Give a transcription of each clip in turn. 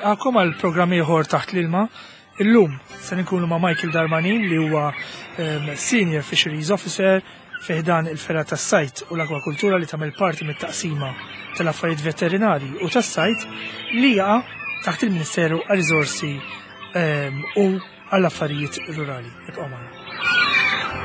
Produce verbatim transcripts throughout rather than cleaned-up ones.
Nilqakom għal programm ieħor taħt l-ilma. Illum se nkunu ma' Michael Darmanin li huwa ehm, Senior Fisheries Officer fi ħdan il-fergħa tas-sajd u l-akwakultura li tagħmel parti mit-taqsima tal-affarijiet veterinari u tas-sajd li jaqa' taħt il-Ministeru għar-Riżorsi ehm, u għall-Affarijiet Rurali. Ibqgħu magħna.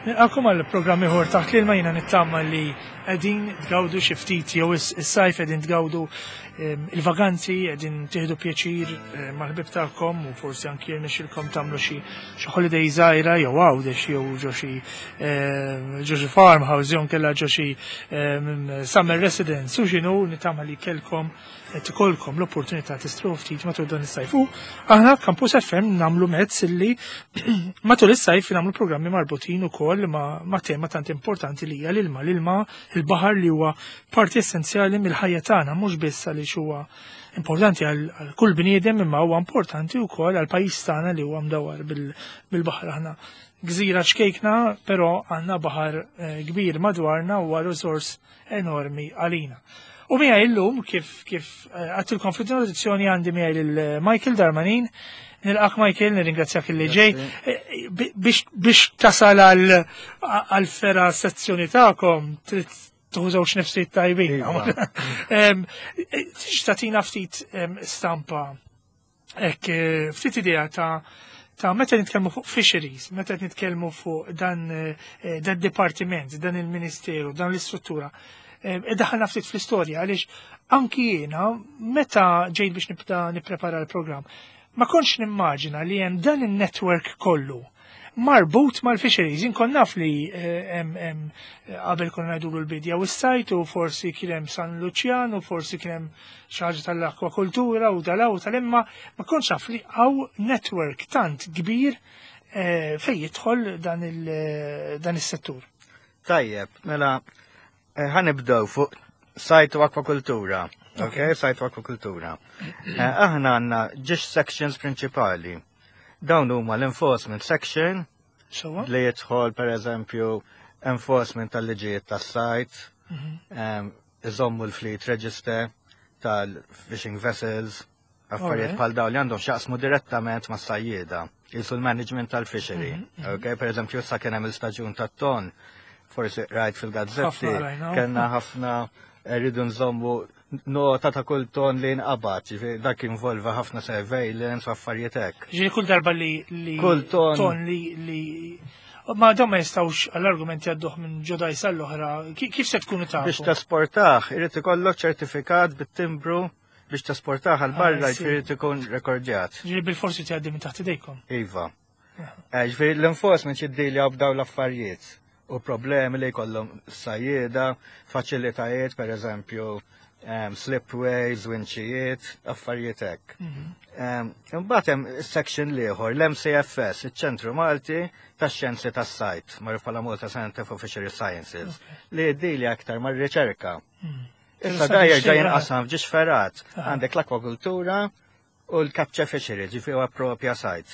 Nilqakom għal programm ieħor taħt l-ilma. Jiena nittama li qegħdin tgawdu xi ftit jew is-sajf, qegħdin tgawdu ehm, il-vaganzi, qegħdin tieħdu pjaċir eh, mal-ħbib tagħkom u forsi anki jirnexxilkom tagħmlu xi xi holiday żgħira jew Għawdex jew ġo xi ehm, ġo xi farmhouse jew nkella ġo xi ehm, summer residence u x'inhu. Nittama li kellkom qed ikollkom l-opportunità tistrieħu ftit matul dan is-sajf. U aħna Campus F M nagħmlu mezz li matul is-sajf nagħmlu programmi marbutin ukoll ma', ma tema tant importanti li hija l-ilma, l-ilma, il-baħar li huwa parti essenzjali mill-ħajja tagħna, mhux biss għaliex huwa importanti għal kull bniedem, imma huwa importanti wkoll għal pajjiż tagħna li huwa mdawwar bil-baħar. Aħna gżira ċkejkna, però għandna baħar eh, kbir madwarna, huwa resource enormi għalina. U miegħi illum, kif kif eh, għedtilkom fl-introduzzjoni, għandi miegħi lil Michael Darmanin. Nilqak, Michael, nirringrazzjak li ġej. Eh, biex biex tasal għal fergħa sezzjoni tagħkom trid tieħu żewġ nifsijiet tajbin. Iva. Tix tagħtina ftit em, stampa hekk, eh, ftit idea ta' ta' meta nitkellmu fuq fisheries, meta nitkellmu fuq dan eh, dan dipartiment, dan il-ministeru, dan l-istruttura. Eh, Daħalna ftit fl-istorja għaliex anki jiena meta ġejt biex nibda nipprepara l-programm, ma kontx nimmaġina li hemm dan il-network kollu marbut mal-fisheries. Inkun naf li eh, hemm hemm qabel konna ngħidulu l-bidja u s-sajt u forsi kien hemm San Luċjan u forsi kien hemm xi ħaġa tal-akwakultura u dalaw tal-imma ma kontx naf li hawn network tant kbir eh, fej jidħol dan il- dan is-settur. Tajjeb, mela, eh, ħa nibdew fuq sajt u akwakultura. Ok, sajt u akwakultura. Eh, Aħna għandna żewġ sections prinċipali. Dawn huma l-enforcement section Sewwa? li jidħol, per eżempju, enforcement tal-liġijiet tas-sajt, em, iżommu l-fleet register tal-fishing vessels, affarijiet Alright. bħal dawn li għandhom x'jaqsmu direttament ma' sajjieda, jisu l-management tal-fishery. Ok, per eżempju, issa kien hemm il-staġun tat-ton, forsi rajt fil-gazzetti, Ħafna rajna. kellna ħafna rridu nżommu nota ta' kull ton li nqabad, ġifieri dak involva ħafna surveillance u affarijiet hekk. Ġifieri kull darba li li Kull ton. ton li li ma dawn ma jistgħux għall-argument jgħadduh minn ġo dgħajsa l-oħra. Ki- Kif se tkunu tafu? Biex tesportah, irid ikollok ċertifikat bit-timbru biex tesportah għal barra, Ah, sì. ġifieri ikun rekordjat. Ġifieri bil-forsi tgħaddi minn taħt idejkom. Iva. Eh, Ġifieri l-enforcement jiddilja b'daw l-affarijiet u problemi li jkollhom sajjieda, faċilitajiet, per eżempju, um, slipways, winċijiet, affarijiet hekk. Um, Imbagħad hemm section l-ieħor, l-M C F S, iċ-Ċentru Malti tax-Xjenzi tas-Sajd, magħruf bħala Malta Center for Fishery Sciences, li jiddilja aktar mar-riċerka. Issa Interessanti, da jerġa' xejn jinqasam f'żewġ fergħat. Aha. Għandek l-akwakultura u l-capture fishery, ġifieri huwa propja sajd.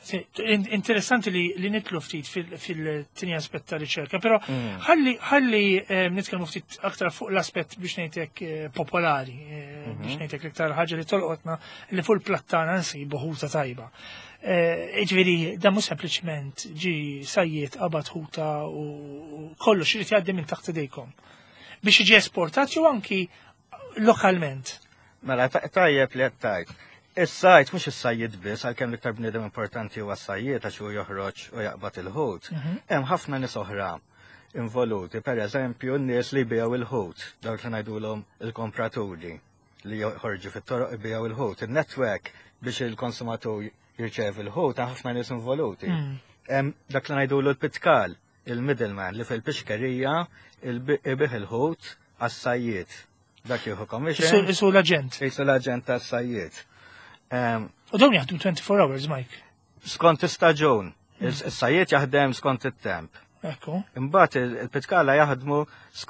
Sì, in- Interessanti li, li nidħlu ftit fil- fil-tieni aspett ta' riċerka, però Mm. ħalli ħalli eh, nitkellmu ftit aktar fuq l-aspett, biex ngħidlek, eh, popolari, eh, biex ngħidlek l-iktar ħaġa li tolqotna, li fuq il-plattana nsibu ħuta tajba. Eh, Ġifieri, dan mhux sempliċement ġi sajjied qabad ħuta u u kollox irid jgħaddi minn taħt idejkom biex jiġi esportat jew anki lokalment. Mela, ta- tajjeb li qed tgħid. Is-sajd mhux is-sajjied biss, għalkemm l-iktar bniedem importanti huwa s-sajjied għax hu joħroġ u jaqbad il-ħut. Hemm ħafna nies oħra involuti, per eżempju n-nies li jbigħu il-ħut, dawk li ngħidulhom il-kompraturi li joħorġu fit-toroq jbigħu il-ħut. Il-network biex il-konsumatur jirċevi il-ħut, hemm ħafna nies involuti. Hemm dak li ngħidulu l-pitkal, il-middleman li fil-pixkerija ibigħ il-ħut għas-sajjied. Dak jieħu commission. Isu l-aġent. Jisu l-aġent tas-sajjied. Em, U dawn jaħdmu twenty-four hours, Mike. Skont istaġun. Is-sajjied jaħdem skont it-temp. Ekku. Imbagħad il-pitkala jaħdmu,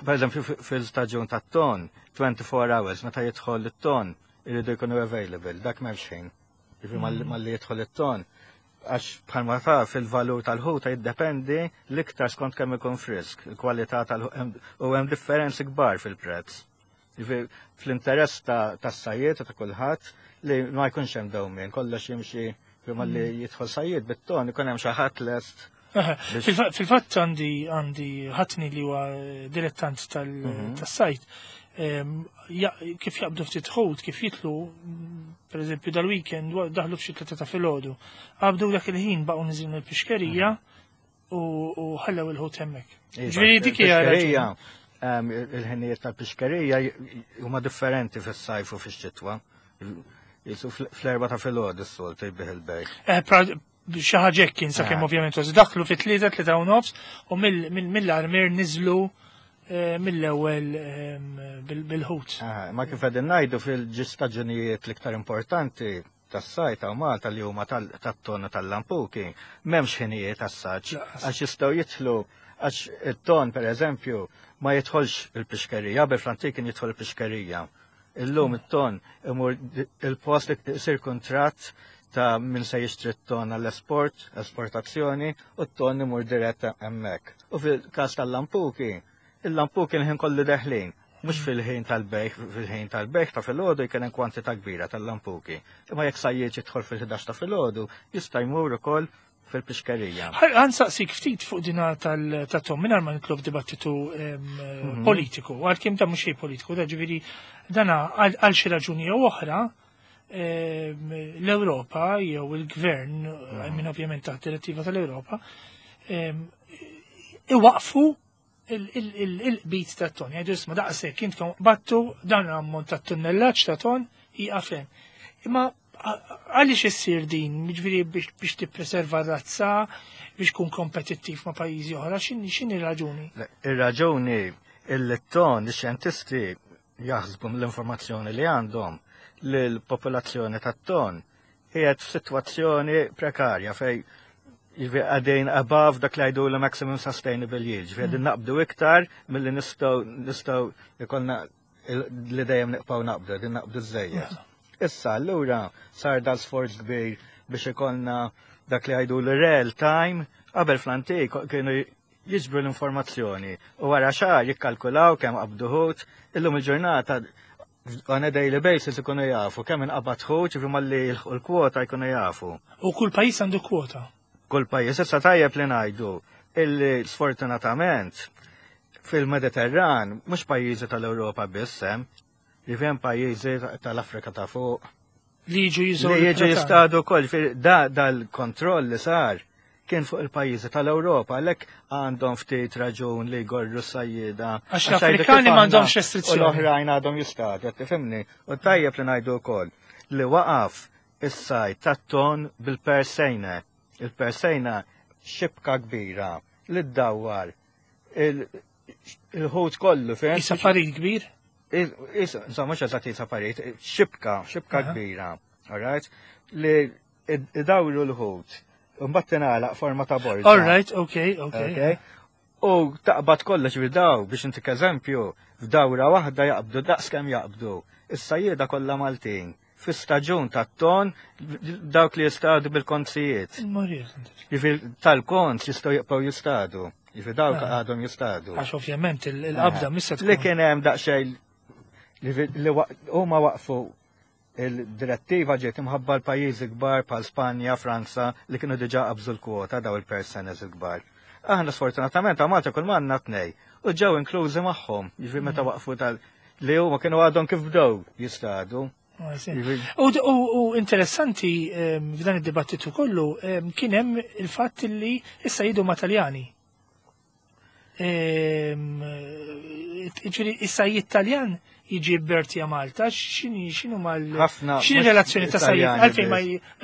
per eżempju, fil-staġun tat-ton, twenty-four hours, meta jidħol it-ton, iridu jkunu available, dak m'hemmx ħin. Jiġifieri malli malli jidħol it-ton, għax bħalma taf il-valur tal-ħuta jiddependi l-iktar skont kemm ikun frisk, il-kwalità tal u hemm differenzi kbar fil-prezz. Jiġifieri fl-interess tas-sajjied ta' kulħadd li ma jkunx hemm dewmien, kollox jimxi malli jidħol sajjied bit-ton ikun hemm xi ħadd lest. Fil-fatt għandi għandi ħatni li huwa dilettant tas-sajt. Kif jaqbdu ftit ħut, kif jitlu, per eżempju dal-weekend, daħlu f'xi tlieta ta' filgħodu. Qabdu dak il-ħin baqgħu niżlin il-pixkerija u ħallew il-ħut hemmhekk. Ġifieri dik hija raġuni. Il-ħinijiet tal-pixkerija huma differenti fis-sajf u fix-xitwa. Jisu fl-erba ta' filgħodu s-soltu jbigħ il-bejgħ. Xi ħaġa hekk kien sakemm ovvjament daħlu fit-tlieta, tlieta u nofs u mill-armier niżlu mill-ewwel bil-ħut. Ma kif qegħdin ngħidu fil-ġistaġunijiet l-iktar importanti tas-sajt ta' Malta li huma tat-ton tal-lampuki, m'hemmx ħinijiet tas-saġġ għax jistgħu jidħlu, għax it-ton pereżempju ma jidħolx il-pixkerija, qabel fl-antik kien jidħol il-pixkerija. Illum it-ton imur il-post li jsir kuntratt ta' min se jixtri t-ton għall-esport, esportazzjoni, u t-ton imur dirett hemmhekk. U fil-każ tal-lampuki, il-lampuki l-ħin kollu deħlin, mhux fil-ħin tal-bejgħ, fil-ħin tal-bejgħ ta' filgħodu jkun hemm kwantità kbira tal-lampuki. Imma jekk sajjied jidħol fil-ħdax ta' filgħodu, jista' jmur ukoll fil-pixkerija. Ħansaqsik ftit fuq dina tal-tom, mingħajr ma nitlob dibattitu politiku, għalkemm da mhux xejn politiku, da ġifieri dana għal xi raġuni jew oħra l-Ewropa jew il-gvern, minn ovvjament taħt direttiva tal-Ewropa, iwaqfu il-qbit ta' ton. Jgħidu isma' daqshekk intkom battu dan l-ammont ta' tunnellaġġ ta' ton jieqaf hemm. Imma għaliex issir din, jiġifieri biex tippreserva r-razza, biex tkun kompetittiv ma' pajjiżi oħra, x'inhi r-raġuni? Ir-raġuni il-ton, ix-xjentisti jaħsbu mill-informazzjoni li għandhom li l-popolazzjoni tat-ton qiegħed f'sitwazzjoni prekarja fej għadejn above dak li għajdu l-maximum sustainable yield, ġifieri qegħdin naqbdu iktar milli nistgħu nistgħu ikollna li dejjem nibqgħu naqbdu, qegħdin naqbdu żejjed. Issa allura sar dal sforz kbir biex ikollna dak li għajdu l-real time, qabel fl-antik kienu jiġbru l-informazzjoni u wara xahar jikkalkulaw kemm qabdu ħut, illum il-ġurnata on a daily basis ikunu jafu kemm inqabad ħut, ġifieri malli l-kwota jkunu jafu. U kull pajjiż għandu kwota? Kull pajjiż, issa tajjeb li ngħidu illi sfortunatament fil-Mediterran mhux pajjiżi tal-Ewropa biss hemm, li hemm pajjiżi tal-Afrika ta' fuq. Li jiġu jiżgħu. Li jiġu jistadu wkoll, da dal-kontroll li sar kien fuq il-pajjiżi tal-Ewropa, għalhekk għandhom ftit raġun li jgorru s-sajjieda. Għax l-Afrikani m'għandhomx restrizzjoni. U l-oħrajn għadhom jistadu, qed tifhimni. U tajjeb li ngħidu wkoll li waqaf is-sajd tat-ton bil-persejna. Il-persejna xibka kbira li ddawwar il-ħut kollu fejn. Isa parit kbir? Insomma, mhux eżatt isa parit, xibka, xibka kbira, all right? Li idawru l-ħut. Mbagħad tingħalaq forma ta' borża. All right, okay, okay. U taqbad kollox f'daw biex intik eżempju, f'dawra waħda jaqbdu daqs kemm jaqbdu. Is-sajjieda kollha Maltin. Fi staġun tat-ton dawk li jistadu bil-konzijiet. Jiġifieri tal-konz jistgħu jibqgħu jistadu. Jiġifieri dawk għadhom jistadu. Għax ovvjament il-qabda missa tkun. Li kien hemm daqsxejn li huma waqfu il-direttiva ġiet imħabba l-pajjiżi kbar bħal Spanja, Franza li kienu diġà qabżu l-kwota daw il-persenes il-kbar. Aħna sfortunatament Malta kull m'għandna tnej u ġew inklużi magħhom, jiġifieri meta waqfu tal li huma kienu għadhom kif bdew jistadu. U interessanti f'dan id-dibattitu kollu kien hemm il-fatt li issa jidu ma' Taljani. Ġifieri issa Taljan jiġi jibbertja Malta, x'inhi x'inhu mal x'inhi relazzjoni ta' sajjied għalfejn ma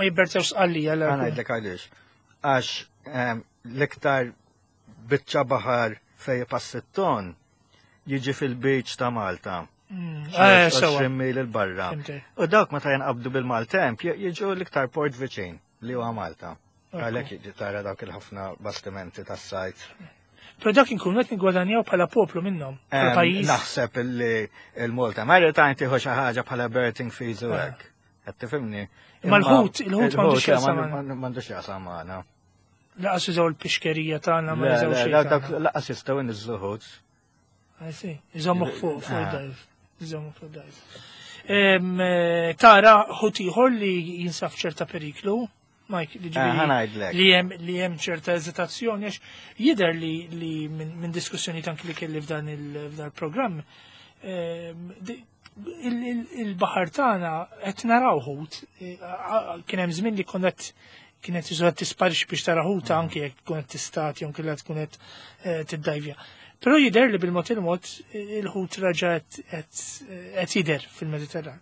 jibbertjawx Sqallija. Ħa ngħidlek għaliex. Għax l-iktar biċċa baħar fejn pass it-ton jiġi fil-beach ta' Malta. għoxrin mil il-barra. U dawk meta jinqabdu bil-maltemp jiġu l-iktar port viċin li huwa Malta. Għalhekk tara dawk il-ħafna bastimenti tas-sajd. Però dak inkunu qed nigwadanjaw bħala poplu minnhom, bħala Em, pajjiż. Naħseb illi il-Malta Maritime tieħu xi ħaġa bħala berthing fees u Ah. hekk. Qed tifhimni? Imma l-ħut- il-ħut m'għandux x'jaqsam magħna. M'għandux x'jaqsam magħna. Lanqas jużaw il-pixkerija tagħna, ma Le, jużaw le, xejn dak- dak tagħna. Lanqas jistgħu jniżżlu ħut. I see. Iżommuk fuq fuq Ah. dive. Iżommuk fuq dive. Em, eh, Tara ħut ieħor li jinsab ċerta periklu, Mike, li Eh, ġifieri ħa ngħidlek. li hemm li hemm ċerta eżitazzjoni għax jidher li li minn min diskussjoni anki li kelli f'dan il- f'dan il-programm em, di- il- il- il-baħar tagħna qed naraw ħut, eh, a- kien hemm żmien li konna qed kienet iżu qed tisparix biex tara ħuta anki jekk tkun qed tistad jew kellha tkun qed eh, tiddajvja. Però jidher li bil-mod il-mod eh, il-ħut raġa qed- qed qed jidher fil-Mediterran.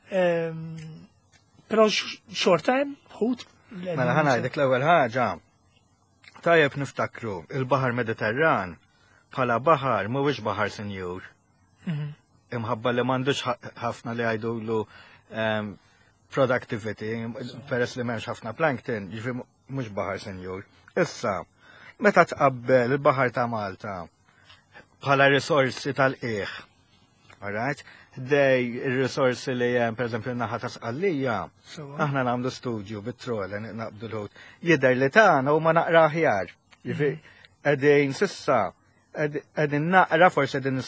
Ehm, Però x- xorta hemm ħut. Mela ħa ngħidlek l-ewwel ħaġa. Tajjeb niftakru il-Baħar Mediterran bħala baħar mhuwiex baħar sinjur. Mhm. Imħabba li m'għandux ħa- ħafna li jgħidulu em, productivity, peress li m'hemmx ħafna plankton, jiġifieri mhux baħar sinjur. Issa, meta tqabbel il-baħar ta' Malta bħala risorsi tal-qiegħ, alright? Dej il-risorsi li hemm pereżempju n-naħa ta' Sqallija, Sewwa. aħna nagħmlu studju bit-troll naqbdu l-ħut. Jidher li tagħna huma naqra aħjar. Jiġifieri qegħdin s'issa qegħdin naqra forsi qegħdin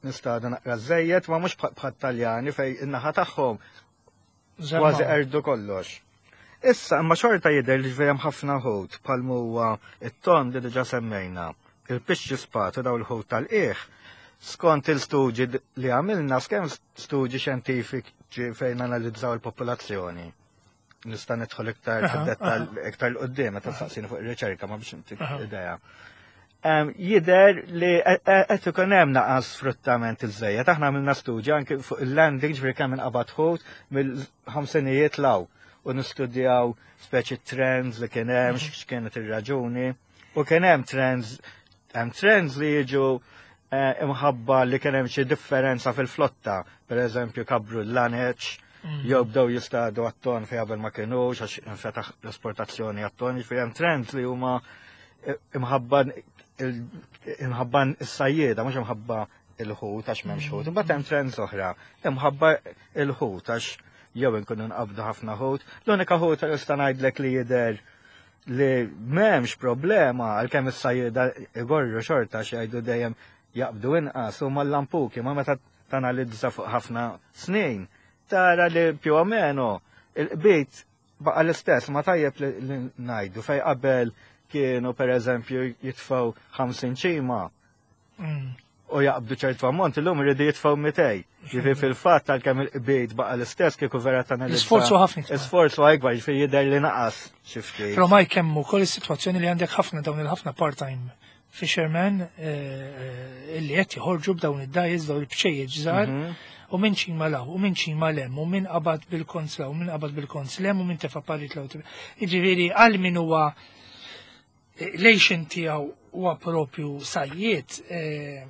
nistadu naqra żejjed, ma mhux bħal Taljani fejn in-naħa tagħhom kważi erdu kollox. Issa, imma xorta jidher li hemm ħafna ħut bħal huwa it-ton li diġà semmejna, il-pixxi spatu, daw il-ħut tal-qiegħ. Skont il-studji li għamilna, skemm studji xjentifiċi fejn analizzaw il-popolazzjoni. Nista' nidħol iktar fid-dettall iktar 'l quddiem meta tistaqsini fuq ir-riċerka, ma biex intik idea. Jidher li qed ikun hemm naqas sfruttament iżejjed. Aħna għamilna studji anke fuq il-landing, ġifieri kemm inqabad ħut mill-ħamsinijiet 'l hawn u nistudjaw speċi trends li kien hemm, x'kienet ir-raġuni. U kien hemm trends, hemm trends li jiġu eh, imħabba li kien hemm xi differenza fil-flotta, per eżempju kabru l-laneċ, mm. jew bdew jistadu għat-ton fejn qabel ma kienux, għax infetaħ l-esportazzjoni għat-ton, jiġifieri hemm trends li huma eh, imħabba imħabba s-sajjieda, mhux imħabba il-ħut għax m'hemmx ħut. Imbagħad hemm trends oħra, imħabba il-ħut għax jew inkunu nqabdu ħafna ħut. L-unika ħut li nista' ngħidlek li jidher li m'hemmx problema, għalkemm is-sajjieda igorru xorta xi jgħidu dejjem jaqbdu inqas, huma l-lampuki, ma meta tanalizza fuq ħafna snin tara li più o meno il-qbit baqa l-istess. Ma tajjeb li ngħidu fejn qabel kienu per eżempju jitfgħu ħamsin ċima mm. u jaqbdu ċertu ammont, illum iridu jitfgħu mitejn. Ġifieri fil-fatt għalkemm il-qbit baqa l-istess, kieku vera tanalizza. L-isforzu ħafna. Isforzu akbar, ġifieri jidher li naqas xi ftit. Però ma jkemmu kol is-sitwazzjoni li għandek ħafna dawn il-ħafna part-time fishermen eh, illi qed joħorġu b'dawn id-dgħajjes, dawn il-bċejjeġ żgħar, mhm. u minn ċima 'l hawn, u minn ċima 'l hemm, u minn qabad bil-konz 'l hawn, u minn qabad bil-konz 'l hemm, u minn tefa parit 'l hawn. Jiġifieri għal min huwa l-għixien tiegħu huwa propju sajjied, eh,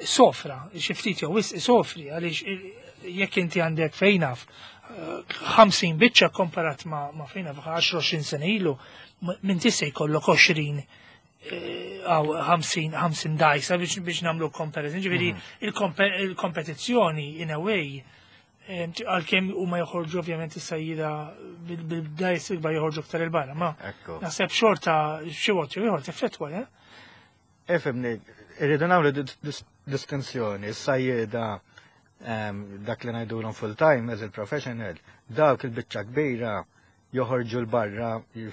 sofra, xi ftit jew wisq sofri, għaliex jekk inti għandek fejn naf ħamsin biċċa komparat ma, ma fejn naf għaxra sena ilu, minn tista' jkollok għoxrin għaw ħamsin ħamsin dgħajsa biex biex nagħmlu comparison. Ġifieri il-kompetizzjoni in a way, għalkemm huma joħorġu ovvjament is-sajjida bil-dgħajs ikbar joħorġu aktar 'il barra, ma naħseb xorta xi waqt jew ieħor teffettwa, eh? Ifhimni, irridu nagħmlu distinzjoni, is-sajjida dak li ngħidulhom full time as il-professional, dawk il-biċċa kbira joħorġu 'l barra,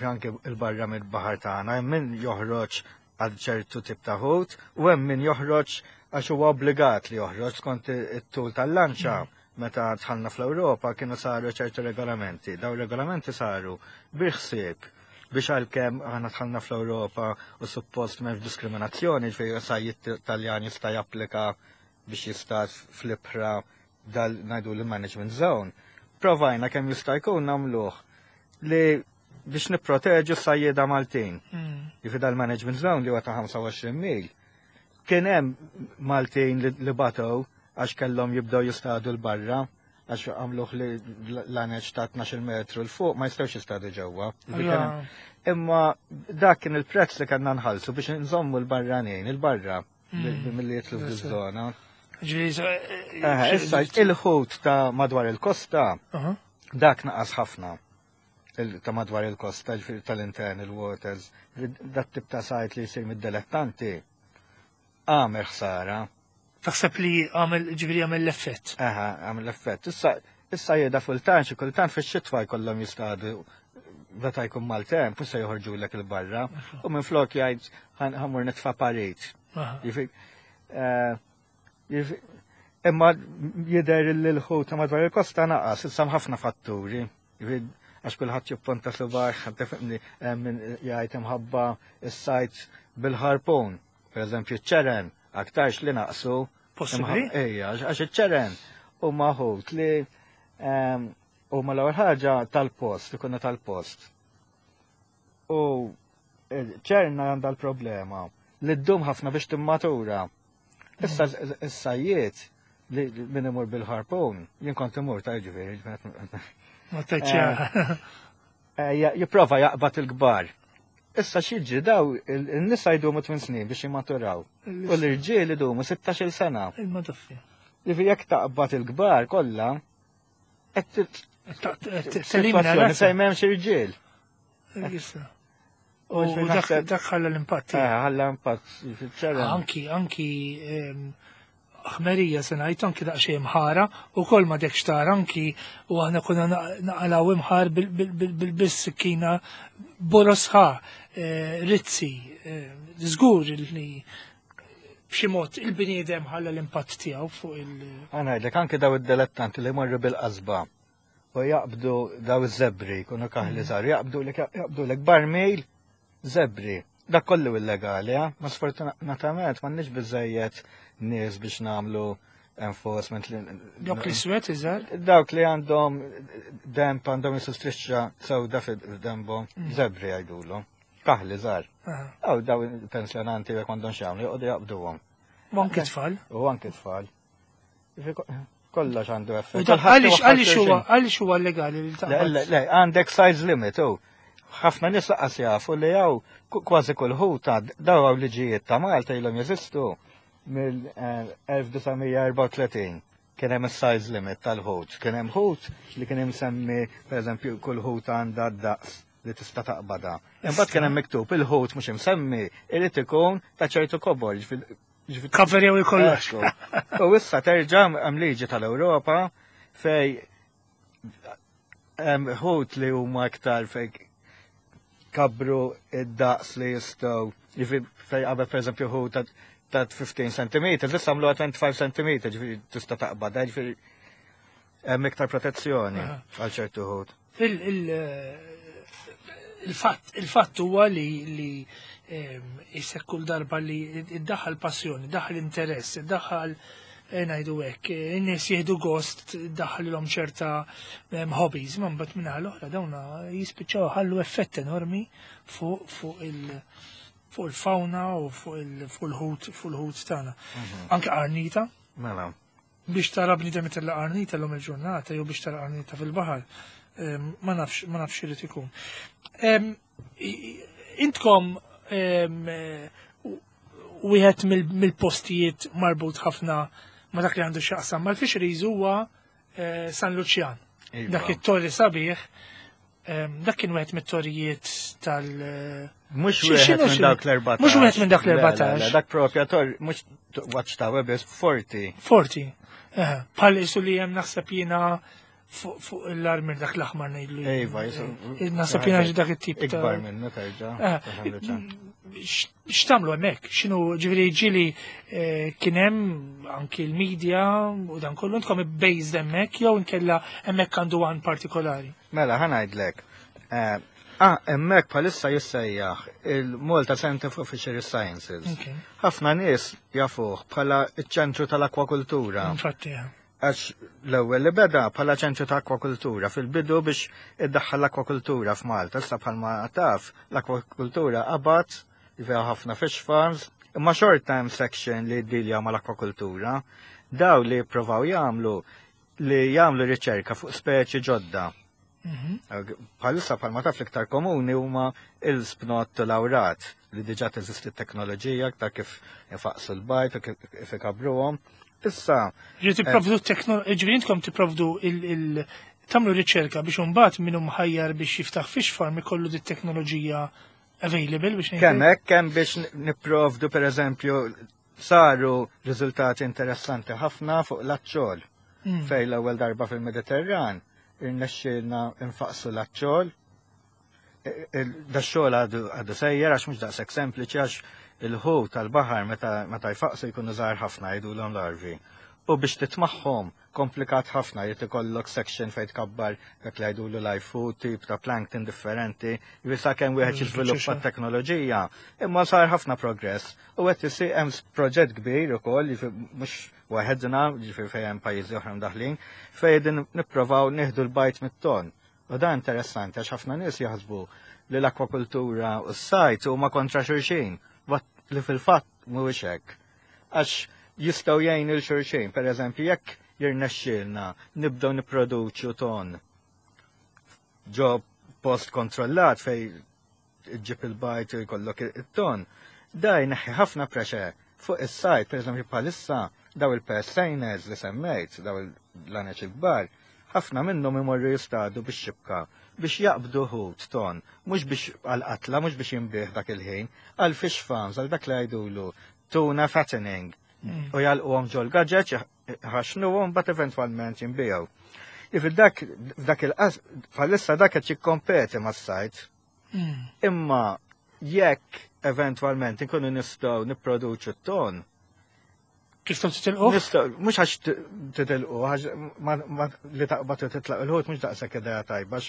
anke 'l barra mill-baħar tagħna, hemm min joħroġ għal ċertu tip ta' ħut u hemm min joħroġ għax huwa obbligat li joħroġ skont it-tul tal-lanċa. Mm. Meta dħalna fl-Ewropa kienu saru ċertu regolamenti. Daw regolamenti saru bil-ħsieb biex għalkemm aħna dħalna fl-Ewropa u suppost m'hemmx diskriminazzjoni, ġifieri sajjied Taljan jista' japplika biex jista' fl-ibħra dal ngħidu l-management zone. Provajna kemm jista' jkun nagħmluh li biex nipproteġu s-sajjieda Maltin. Mm. Jiġifieri dal-management zone li huwa ta' ħamsa u għoxrin mil. Kien hemm Maltin li batow għax kellhom jibdew jistadu 'l barra għax għamluh li l-laneċ ta' tnax-il metru 'l fuq ma jistgħux jistadu ġewwa. Imma dak kien il-prezz li kellna nħallsu biex nżommu l-barranin, il-barra, Mm. milli jidħlu fil-żona. Ġifieri, Eh, Issa il-ħut ta' madwar il-kosta, Aha. dak naqas ħafna. Il- Ta' madwar il-kosta, ġifieri tal-internal waters, dat tip ta' sajd li jsir mid-dilettanti, għamel ħsara. Taħseb li għamel ġifieri għamel l-effett. Aha, għamel l-effett. Issa, issa jeda fultan, xi kultant fix-xitwa jkollhom jistadu meta jkun maltemp, mhux se joħorġu lek il-barra, u minn flok jgħid ħa mmur nitfa' parit. Aha. Jifi- eh, jifi- Imma jidher li l-ħut ta' madwar il-kosta naqas, issa hemm ħafna fatturi. Jifi, Għax kulħadd jipponta subaħ, tifhimni min jgħid imħabba is-sajd bil-harpun. Per eżempju, ċeren, aktarx li naqsu. Possibbli? Ejja, għax iċ-ċeren huma ħut li ehm, huma l-ewwel ħaġa tal-post, ikunu tal-post. U ċerna għandha l-problema li ddum ħafna biex timmatura. Issa is-sajjiet li li min imur bil-harpun, jien kont imur ta' ġifieri, Ma tgħidx eh, ja- jipprova jaqbad il-kbar. Issa x'jiġri daw il-nisa jdumu tmien snin biex jimmaturaw. U l-irġiel idumu sittax-il sena. Il-madaffi. Jiġifieri jekk taqbad il-kbar kollha, qed Telimina sitwazzjoni fejn m'hemmx irġiel. U Ġifieri dak naħseb- dak ħalla l-impatt. Eh, ħalla impatt ċeren. Anki, anki em, ħmerija se ngħid anki daqsxejn imħara u kol ma dekx tara anki u aħna konna naqalaw imħar bil-sikkina borosħa, eh, rizzi, eh, żgur li b'xi mod il-bniedem ħalla l-impatt tiegħu fuq il- Ħa ngħidlek anke daw id-dilettanti li jmorru bil-qasba u jaqbdu daw iż-żebri, kunu kaħli żgħar, jaqbdu lek jaqbdu lek barmil żebri. Dak kollu illegali, eh? Ma sfortunatament m'għandniex biżejjed nies biex nagħmlu enforcement. li- Dawk li swet iżgħar. Dawk li għandhom demp għandhom jisu strixxa sewda fid-dembhom, żebri jgħidulhom. Kaħli żgħar. Aha. Aw daw pensjonanti jekk m'għandhom x'jagħmlu, joqogħdu jaqbduhom. U anki tfal. U anke tfal. Jiġifieri ko- Kollox għandu effett. U dak Kulħadd għaliex iwaħħal għaliex huwa xulxin. għaliex huwa legali li Le, taqbad. le, le, għandek size limit, u. Ħafna nies laqas jafu li hawn kważi kull ħuta daw hawn liġijiet ta' Malta ilhom jeżistu mill-elf disa' mija erbgħa u tletin. Kien hemm is-size limit tal-ħut. Kien hemm ħut li kien imsemmi, pereżempju, kull ħut għandha d-daqs li tista' taqbada. Imbagħad kien hemm miktub il-ħut mhux imsemmi irid ikun ta' ċertu kobor, ġifieri- ġifieri Cover jew kollox. Ekku. U issa terġa' hemm liġi tal-Ewropa fej hemm ħut li huma aktar fej kabru id-daqs li jistgħu jiġifieri fej qabel pereżempju ħut ta' ta' ħmistax centimetri, issa għamluha ħamsa u għoxrin centimetri, ġifieri tista' taqbad, ġifieri hemm iktar protezzjoni Aha. għal ċertu ħut. Il- il- Il-fatt il-fatt huwa li li em, issa kull darba li iddaħħal passjoni, iddaħħal interess, iddaħħal eh, ngħidu hekk, eh, in-nies jieħdu gost, iddaħħal ċerta em, hobbies, ma mbagħad minn l-oħra dawna jispiċċaw ħallu effett enormi fuq fuq il- fuq il-fauna u fuq il- fuq il-ħut fuq il-ħut tagħna. Anke qarnita, Mela. biex tara bniedem itella qarnita l-lum il-ġurnata jew biex tara qarnita fil-baħar. Em, Ma nafx, ma nafx irid ikun. Em, i- Intkom em, eh, u- wieħed mill- mill-postijiet marbut ħafna ma dak li għandu x'jaqsam mal-fisheries huwa eh, San Luċjan. Iva. Dak it-torri sabiħ, em, dak kien wieħed mit-torrijiet tal- eh, Mux Xi- wieħed x'inhu minn x'inhu? dawk l-erbatax. Mhux wieħed minn dak Le, le, l-erbatax. le, Dak propja tor, mux watchtower biss, forti. Forti. Eh, Bħal isu li hemm naħseb jiena fuq fuq l-armir dak l-aħmar ngħidlu. jien. Iva, jisu. Eh, Naħseb jiena xi dak it-tip ta' Ikbar minnu terġa. Eh, ta' San Luċjan. x- X'tagħmlu hemmhekk? X'inhu ġifieri ġieli eh, kien hemm anki l-media u dan kollu intkom based hemmhekk jew inkella hemmhekk għandu għan partikolari. Mela, ħa ngħidlek. Eh, Ah, hemmhekk bħalissa jissejjaħ il-Malta Center for Fisheries Sciences. Okay. Ħafna nies jafuh bħala iċ-ċentru tal-akwakultura. Infatti, eh. Għax l-ewwel li beda bħala ċentru ta' akwakultura fil-bidu biex iddaħħal l-akwakultura f'Malta. Issa bħalma taf l-akwakultura qabad fiha ħafna fish farms, imma short time section li ddilja mal-akwakultura, daw li provaw jagħmlu li jagħmlu riċerka fuq speċi ġodda. Mhm. Bħalissa, bħalma taf, l-iktar komuni huma il-spnot, l-awrat, li diġà teżisti teknoloġija ta' kif ifaqsu l-bajd u kif ikabruhom. Issa. Ġifieri tipprovdu teknoloġija, ġifieri intkom tipprovdu il- tagħmlu riċerka biex imbagħad min mħajjar biex jiftaħ fish farm ikollu dit teknoloġija available biex Kemm hekk, kemm biex nipprovdu, per eżempju, saru riżultati interessanti ħafna fuq l-aċċol. Mm. Fej l-ewwel darba fil-Mediterran irnexxielna infaqsu l-aċċol. Da xogħol għadu sejjer għax mhux daqshekk sempliċi, għax il-ħut tal-baħar meta jfaqsu jkunu żgħar ħafna, jgħidulhom larvi. U biex titmagħhom komplikat ħafna, jrid ikollok section fejn tkabbar dak li jgħidulu live food, tip ta' plankton differenti, jisa kemm wieħed mm, jiżviluppa t-teknoloġija. Imma sar ħafna progress. U qed isir, hemm proġett kbir ukoll, mhux waħedna, ġifieri fejn hemm pajjiżi oħra mdaħlin, fejn din nipprovaw nieħdu l-bajd mit-ton. U dan interessanti għax ħafna nies jaħsbu li l-akwakultura u s-sajd huma kontra xulxin, li fil-fatt mhuwiex hekk. Għax jistgħu jgħinu lil xulxin, per eżempju, jekk jirnexxielna nibdew nipproduċu ton ġo post kontrollat fej ġib il-bajd u jkollok it-ton, da jneħħi ħafna pressure fuq is-sajd. Per eżempju, bħalissa daw il-purse seiners li semmejt, daw il-laneċ il-kbar, ħafna minnhom imorru jistadu bix-xibka biex jaqbdu ħut ton, mhux biex għal-qatla, mhux biex jinbiegħ dak il-ħin, għal fish farms, għal dak li jgħidulu tuna fattening. Mm. U jagħlquhom ġol gaġeġ, ħaxnuhom, but eventwalment jinbiegħu. If dak dak il-qas, bħalissa dak qed jikkompeti mas-sajd. Mm. Imma jekk eventwalment inkunu nistgħu nipproduċu t-ton, Kif tistgħu titilqu? Nistgħu, mhux għax titilqu, għax li taqbad titlaq il-ħut mhux daqshekk idea tajba,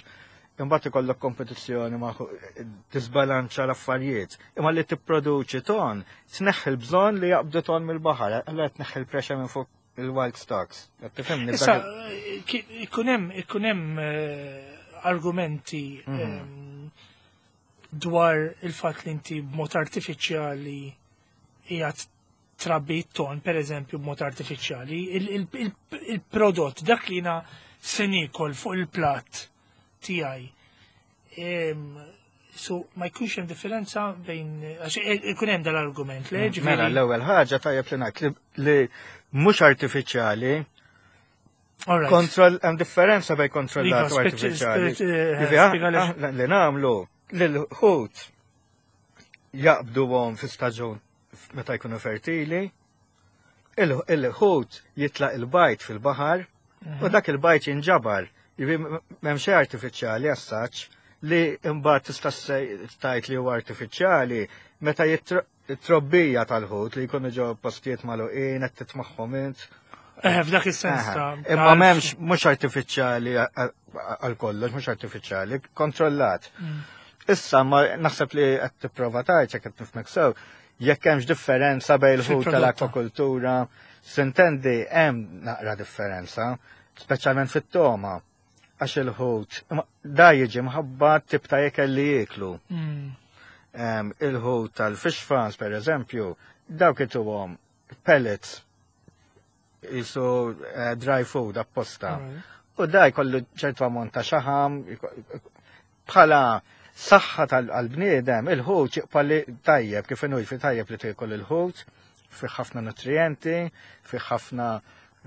imbagħad ikollok kompetizzjoni ma' tisbalanċa l-affarijiet. Imma li tipproduċi ton, tneħħi l-bżonn li jaqbdu ton mill-baħar, allura tneħħi l-pressure minn fuq il-wild stocks. Tifhimni? Issa, ikun hemm ikun hemm eh, argumenti mhm. ehm, dwar il-fatt li inti b'mod artifiċjali qiegħed trabbi ton, per eżempju, b'mod artifiċjali, il-prodott, dak li jiena se niekol fuq il-plat tiegħi. So ma jkunx hemm differenza bejn, għax ikun hemm dal-argument, le? Mm, mela, l-ewwel ħaġa tajjeb li ngħid li mhux artifiċjali. Kontroll, hemm differenza bejn kontrollat u artifiċjali. Eh, li nagħmlu lil-ħut jaqbduhom fi staġun meta jkunu fertili, il-ħut jitlaq il-bajd fil-baħar u mhm. dak il-bajd jinġabar. M'hemm xejn artifiċjali assaċ li imbagħad tista' tgħid li huwa artifiċjali meta jitrobbija tal-ħut li jkunu ġo postijiet magħluqin qed titmagħhom int. Eh, f'dak is-sens ta' Imma m'hemmx, mhux artifiċjali għal kollox, mhux artifiċjali, kontrollat. Mm. Issa ma naħseb li qed tipprova tgħid, jekk qed nifhmek sew, jekk hemmx differenza bejn il-ħut tal-akwakultura, s'intendi hemm naqra differenza, speċjalment fit-toma, għax il-ħut, da jiġi mħabba tip ta' ikel li jieklu. Mm. Il-ħut tal-fish farms, per eżempju, dawk ituhom pellets, jisu eh, dry food apposta. U da jkollu ċertu ammont ta' xaħam, bħala saħħa tal-bniedem, il-ħut jibqa' li tajjeb, kif inhu fi tajjeb li tiekol il-ħut, fi ħafna nutrienti, fi ħafna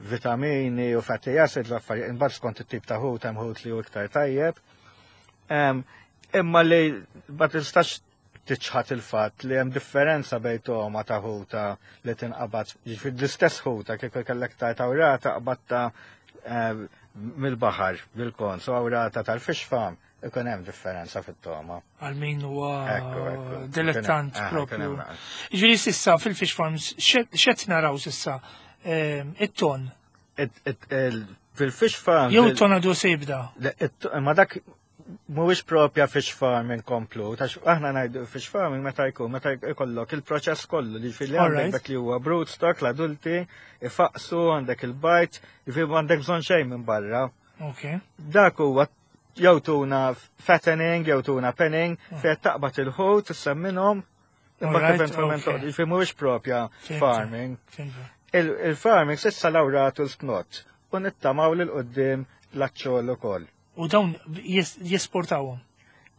vitamini u fatty acids, l-affarijiet, imbagħad skont it-tip ta' ħut, hemm ħut li hu iktar tajjeb. Imma li ma tistax tiċħat il-fatt li hemm differenza bejn toma ta' ħuta li tinqabad, jiġifieri l-istess ħuta kif kellek ta' awrata qbatta mill-baħar bil-kons u awrata tal-fish farm, ikun hemm differenza fit-toma. Għal min huwa dilettant propju. Ġifieri s'issa fil-fish farms x'qed naraw s'issa, it-ton? Fil-fish farm. Jew it-ton għadu se jibda? Ma dak mhuwiex propja fish farming komplut, għax aħna ngħidu fish farming meta jkun meta jkollok il-proċess kollu li fil għandek dak li huwa broodstock, l-adulti, ifaqsu, għandek il-bajd, jiġifieri m'għandek bżonn xejn minn barra. Dak huwa jew tuna fattening, jew tuna penning, ah. fejn taqbad il-ħut, issemminhom, imbagħad eventwalment jiġifieri mhuwiex propja farming. Il-farming s'issa l-awratu l-spnot u nittamaw lil quddiem l-aċċol ukoll. U dawn jesportawhom.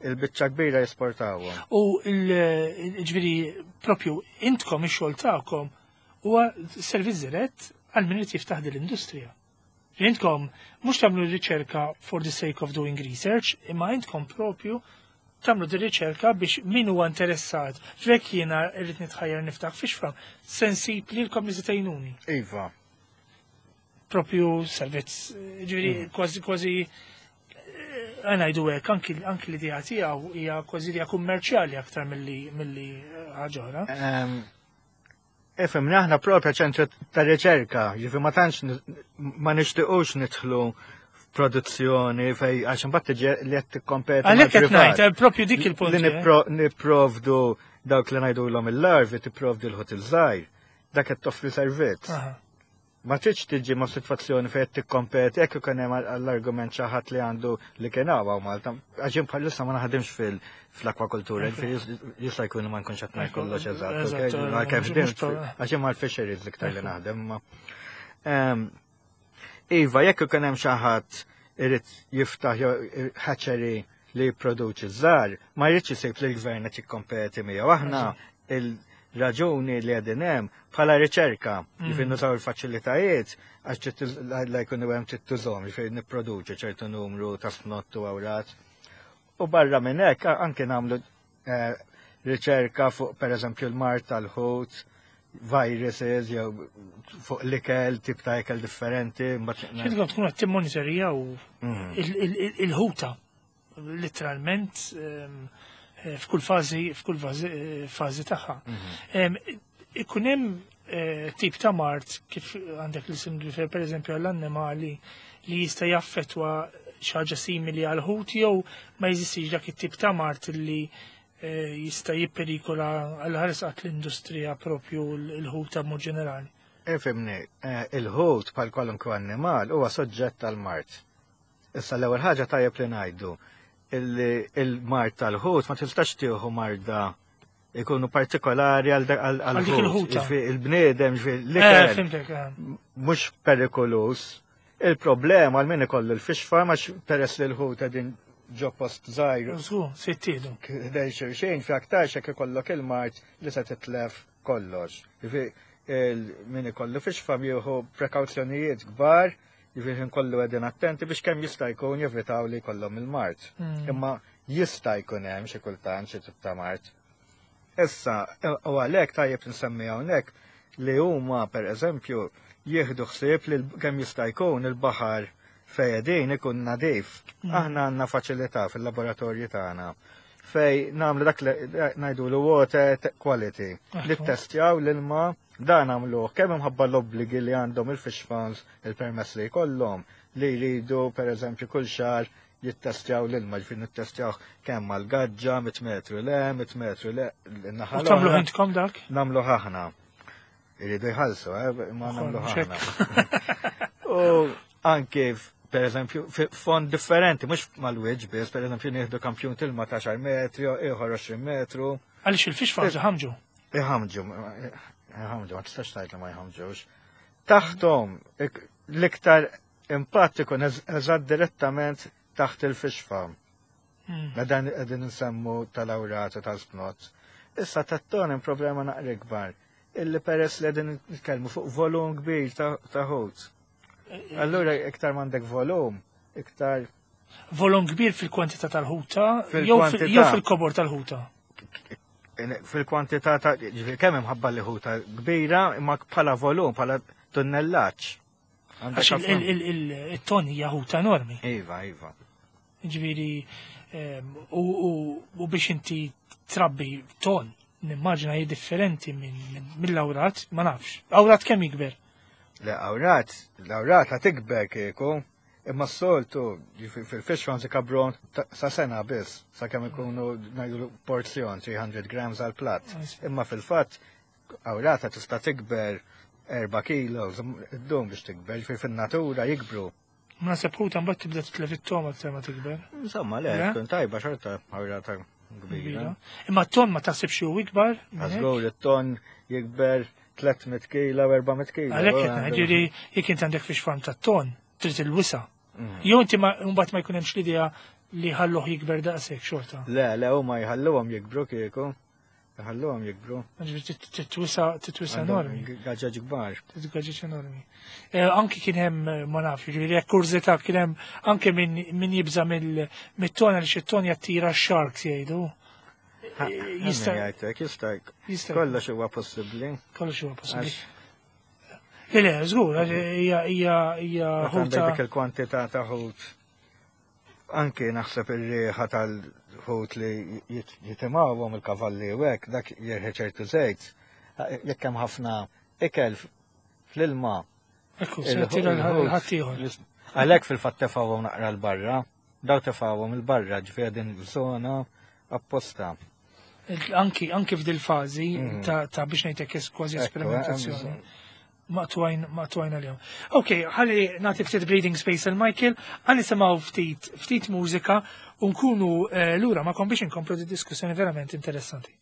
Il-biċċa kbira jesportawhom. U ġifieri propju intkom ix-xogħol tagħkom huwa servizz dirett għal min irid jiftaħ din l-industrija. Intkom mhux tagħmlu riċerka for the sake of doing research, imma intkom propju tagħmlu di riċerka biex min huwa interessat. Jekk jiena rrid nitħajjar niftaħ fish farm, se nsib lilkom li tgħinuni. Iva. Propju servizz, ġifieri mm. kważi kważi ngħidu hekk, anki anki l-idea tiegħu hija kważi idea kummerċjali aktar milli milli ħaġa oħra. Ifhem, aħna propja ċentru ta' riċerka, ġifi ma tantx ma nixtiequx nidħlu f'produzzjoni fej għax imbagħad tiġi li qed tikkompeti. Għalhekk qed ngħid, eh, propju dik il-punt. Li eh. nipprovdu dawk li ngħidulhom il-larvi tipprovdi l-ħut il-żgħir, dak qed toffri servizz. Ma tridx tiġi ma' sitwazzjoni fejn qed tikkompeti jekk ikun hemm għall-argument xi ħadd li għandu li kien hawn Malta. Għax jien bħalissa ma naħdimx fil-akwakultura, jista' jkun ma nkunx qed ngħid kollox eżatt. Għax jien mal-fisheries iktar li naħdem. Iva, jekk ikun hemm xi ħadd irid jiftaħ hatchery li jipproduċi żgħar, ma jridx isib li l-gvern qed jikkompeti miegħu. Aħna il-raġuni li qegħdin hemm bħala riċerka, mm. jiġifieri nużaw il-faċilitajiet għax la jkunu hemm trid tużhom, jiġifieri nipproduċu ċertu numru ta' snott u awrat. U barra minn hekk anke nagħmlu eh, riċerka fuq pereżempju l-mard tal-ħut, viruses, jew fuq l-ikel, tip ta' ikel differenti. X'intkom tkunu qed timmonitorjaw mm. il-ħuta, literalment ehm, eh, f'kull fażi f'kull fażi tagħha. Mhm. Ikun hemm eh, tip ta' mard kif għandek li sim per eżempju għall-annimali li jista' jaffetwa xi ħaġa simili għal ħut jew ma jeżistix dak it-tip ta' mard li eh, jista' jipperikola għal ħaresqat l-industrija propju l-ħuta mod ġenerali. Ifhimni, il-ħut bħal kwalunkwe annimal huwa soġġett tal-mard. Issa l-ewwel ħaġa tajjeb li ngħidu il-mard tal-ħut ma tistax tieħu marda ikunu partikolari għal ħut. Il-bniedem, l-ikel, eh, mhux perikolus. Il-problema għal min ikollu l-fish farm għax peress li l-ħut qegħdin ġo post żgħir. Sittieħdu. Dej xejn fi aktar xek ikollok il-mard li se titlef kollox. Min ikollu fish farm jieħu prekawzjonijiet kbar, jiġifieri kollu qegħdin attenti biex kemm jista' jkun jevitaw li jkollhom il-mard. Mm. Imma jista' jkun hemm xi kultant xi tip ta' mard. Issa, u għalhekk tajjeb nsemmi hawnhekk li huma pereżempju jieħdu ħsieb li kemm jista' jkun il-baħar fejn ikun nadif. Mm. Aħna għandna faċilità fil-laboratorji tagħna fej nagħmlu dak li ngħidu l water quality. Li testjaw l-ilma dan għamluh kemm imħabba l-obbligi li għandhom il-fish farms il-permess li jkollhom li jridu per eżempju kull xahar jittestjaw l-ilma, ġifieri nittestjaw kemm mal-gaġġa, mitt metru le, mitt metru le, naħa. U tagħmlu intkom dak? Nagħmlu aħna. Iridu jħallsu, eh, ma nagħmlu aħna. U anke per eżempju, fond differenti, mhux mal-wiċċ biss, per eżempju, nieħdu kampjun tilma ta' għaxar metri, ieħor għoxrin metru. Għaliex il-fish farms iħamġu? Iħamġu, iħamġu, ma tistax tgħid li ma jħamġux. Taħtom, l-iktar impatt ikun eżatt direttament taħt il-fish farm. Hmm. Dan qegħdin nsemmu tal-awrat u tal-snot. Issa tat-ton hemm problema naqra ikbar. Illi peress li qegħdin nitkellmu fuq volum kbir ta' ħut. Allura iktar m'għandek volum, iktar Volum kbir fil-kwantità tal-ħuta jew fil-kobor tal-ħuta? Fil-kwantità ta' kemm imħabba li ħuta kbira, imma bħala volum, bħala tunnellaġġ. Għax il-ton hija ħuta enormi. Iva, iva. Ġifieri, u biex inti trabbi ton, nimmaġina hi differenti mill-awrat, ma nafx. Awrat kemm jikber? Le, awrat, l-awrat la tikber kieku, imma s-soltu fil-fish farms ikabru sa sena biss, sa kemm ikunu ngħidu porzjon tliet mija grams għal platt. Imma fil-fatt awrata tista' tikber erba' kilo, id-dum biex tikber, fil-natura jikbru. Ma naħseb ħuta mbagħad tibda titlef it-togħma aktar ma tikber. Insomma, le, tkun tajba xorta awrata kbira. Imma t-ton ma taħsibx hu ikbar? Żgur, it-ton jikber tliet mitt kilo, erba' mitt kilo. Għalhekk qed ngħid, jekk int għandek fish farm tat-ton, trid il-wisa. Mm. Jew inti mbagħad ma jkun hemmx l-idea li ħalluh jikber daqshekk xorta. Le, le, huma jħalluhom jikbru kieku. Jħalluhom jikbru. Titwisa titwisa enormi. Gaġaġ kbar. Gaġaġ enormi. Eh, anki kien hemm ma nafx, ġifieri jekk kurżità kien hemm anke min jibża mit-tona li xi ton jattira x-sharks jgħidu. Jista' jgħidlek, jista' kollox huwa possibbli. Kollox huwa possibbli. Le, le, żgur, hija hija hija ħuta. Dik il-kwantità ta' ħut. Anki naħseb ir-riħa tal-ħut li jitimgħuhom il-kavalli u hekk, dak jirħi ċertu żejt. Jekk hemm ħafna ikel fl-ilma. Ekku, se tira l-ħaddieħor. Għalhekk fil-fatt tefgħuhom naqra l-barra, daw tefgħuhom il-barra, ġifieri din żona apposta. Anki anki f'dil fażi ta' biex ngħidlek kważi esperimentazzjoni. Maqtwajn, maqtwajn għal-jom. Ok, ħalli nagħti ftit breathing space għal Michael, ħalli nisimgħu ftit, ftit mużika u nkunu lura magħkom biex inkomplu di diskussjoni verament interessanti.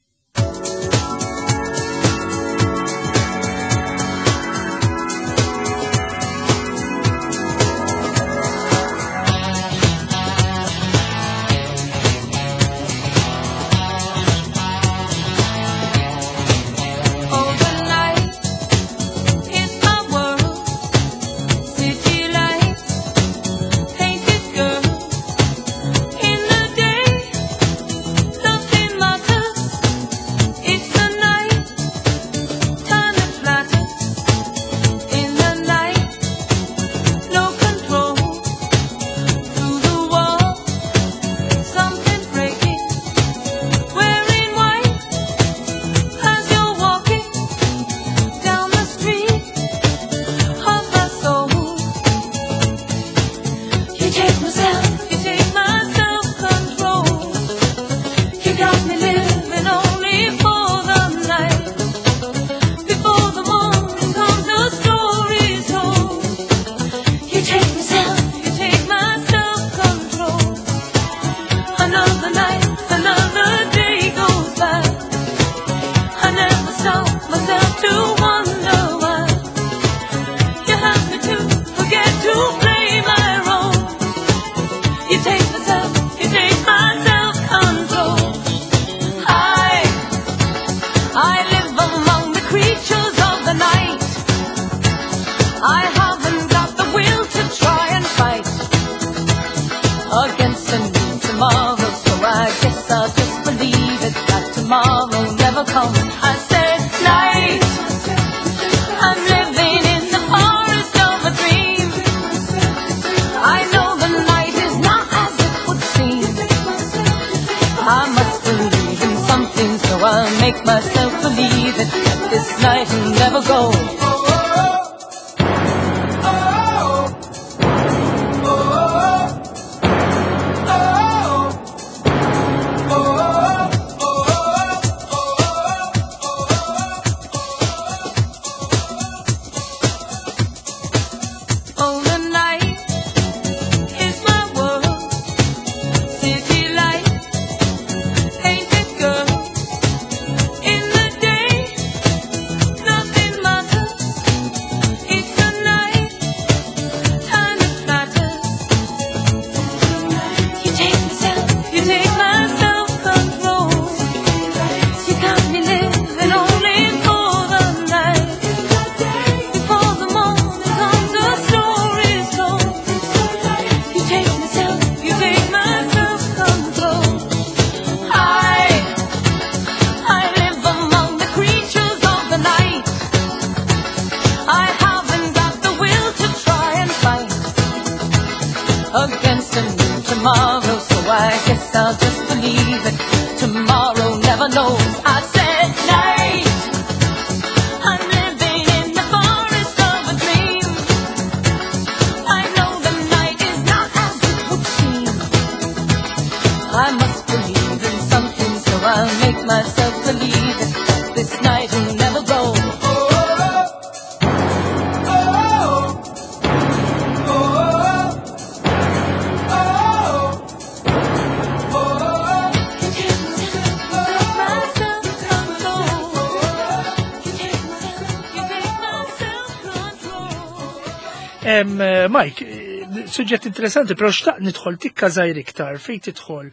Mike, Suġġett interessanti, però xtaqt nidħol tikka żgħir iktar fejn tidħol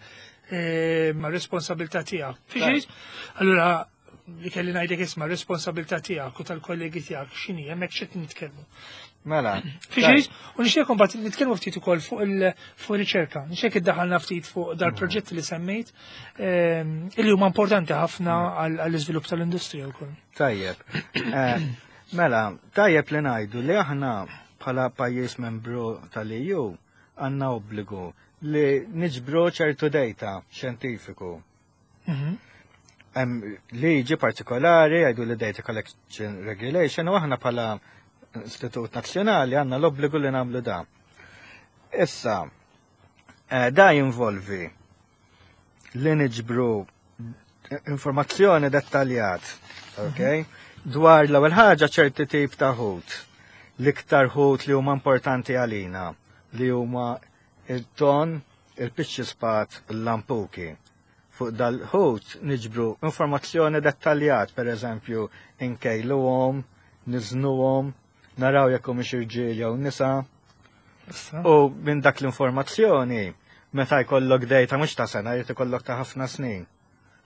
eh, ma' responsabilità tiegħek. Fiġi? Allura li kelli ngħidlek isma' responsabilità tiegħek u tal-kollegi tiegħek x'inhi hemmhekk x'qed nitkellmu. Mela. Fiġi? U nixtieq imbagħad nitkellmu ftit ukoll fuq il fuq riċerka. Nixtieq iddaħħalna ftit fuq dal-proġetti li semmejt ehm, illi huma importanti ħafna għall-iżvilupp tal-industrija wkoll. Tajjeb. Eh, Mela, tajjeb li ngħidu li aħna bħala pajjiż membru tal-E U għandna obbligu li niġbru ċertu data xjentifiku. Mhm. Hemm liġi partikolari jgħidu li Data Collection Regulation u aħna bħala Istitut Nazzjonali għandna l-obbligu li nagħmlu da. Issa, eh, da jinvolvi li niġbru informazzjoni dettaljat, ok? Dwar l-ewwel ħaġa ċerti tip ta' ħut. L-iktar ħut li huma importanti għalina, li huma il-ton, il-pixxi spat, il-lampuki. Fuq dal-ħut niġbru informazzjoni dettaljat, per eżempju, inkejluhom, niżnuhom, naraw jekk humiex irġiel jew nisa. Issa. U minn dak l-informazzjoni, meta jkollok data mhux ta' sena, jrid ikollok ta' ħafna snin.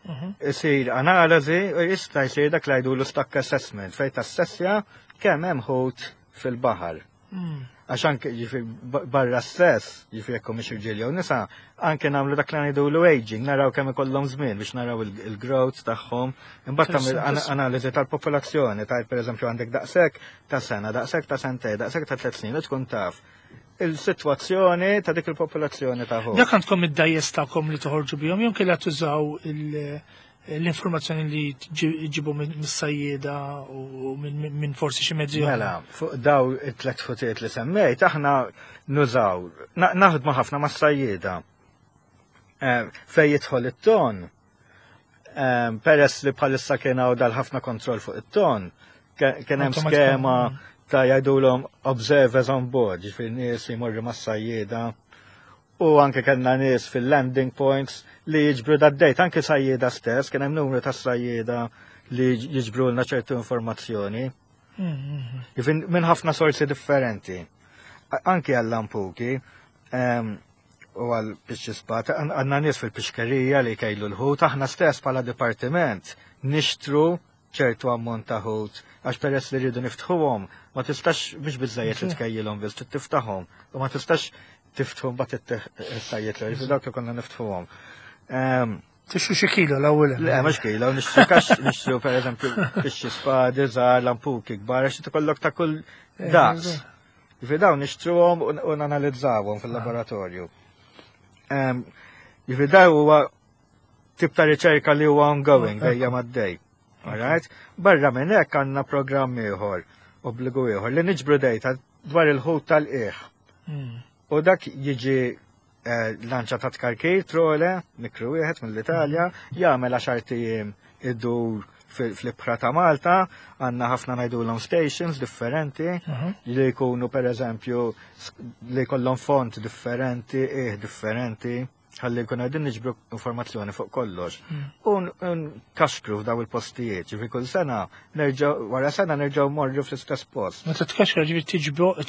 Mhm. Isir analiżi u jista' jsir dak li jgħidulu stock assessment fejn tassessja kemm hemm ħut fil-baħar. Mm. Għax anke jiġifieri barra stess, jiġifieri jekk mhux irġiel jew nisa, anke nagħmlu dak li ngħidulu aging, naraw kemm ikollhom żmien biex naraw il-growth tagħhom, imbagħad tagħmel Interessanti. analiżi tal-popolazzjoni, tajt pereżempju għandek daqshekk ta' sena, daqshekk ta' sentej, daqshekk ta' tliet snin, u tkun taf il-sitwazzjoni ta' dik il-popolazzjoni ta' ħut. Dak għandkom id-dgħajjes tagħkom li toħorġu bihom, jew kellha tużaw il- l-informazzjoni li ġibu mis-sajjieda u minn minn forsi xi mezzi oħra? Mela, fuq daw it-tlet ħutiet li semmejt, aħna nużaw, na- naħdmu ħafna ma' sajjieda. Eh, Fej jidħol it-ton, eh, peress li bħalissa kien hawn dal-ħafna kontroll fuq it-ton, ke- kien hemm Automatikament, skema mm. ta' jgħidulhom observers on board, jiġifieri nies jmorru mas-sajjieda. U anke kellna nies fil-landing points li jiġbru dad-data, anke sajjieda stess, kien hemm numru ta' sajjieda li jiġbru lna ċertu informazzjoni. Mm, mm, Jiġifieri minn ħafna sorsi differenti. A- Anki għall-lampuki em, u għal spat, għandna nies fil-pixkerija li jkejlu l-ħut, aħna stess bħala dipartiment nixtru ċertu ammont ta' ħut, għax peress li rridu niftħuhom, ma tistax biex biżżejjed li tkejjilhom biss, trid tiftaħhom, u ma tistax tiftħuhom bat it-sajjiet li jiġifieri dawk konna niftħuhom. Em, Tixtru xi kilo l-ewwel. Le, mhux kilo, nixtru kax, nixtru per eżempju, pixxi spadi, żgħar, lampuki kbar, għax ikollok ta' kull daqs. Jiġifieri dawn nixtruhom u u nanalizzawhom fil-laboratorju. Em, Jiġifieri daw huwa tip ta' riċerka li huwa ongoing, dejjem għaddej. Alright? Barra minn hekk għandna programm ieħor, obbligu ieħor, li niġbru data dwar il-ħut tal-qiegħ. Mm. U dak jiġi eh, lanċa ta' tkarkir, trole, mikru wieħed mill-Italja, jagħmel għaxart ijiem idur fil- fl-ibħra ta' Malta, għandna ħafna ngħidulhom stations differenti, Mhm. li jkunu per eżempju li jkollhom font differenti, eh differenti, ħalli jkunu qegħdin niġbru informazzjoni fuq kollox. U nkaxkru f'daw il-postijiet, jiġifieri kull sena nerġgħu wara sena nerġgħu morru fl-istess post. Meta tkaxkar jiġifieri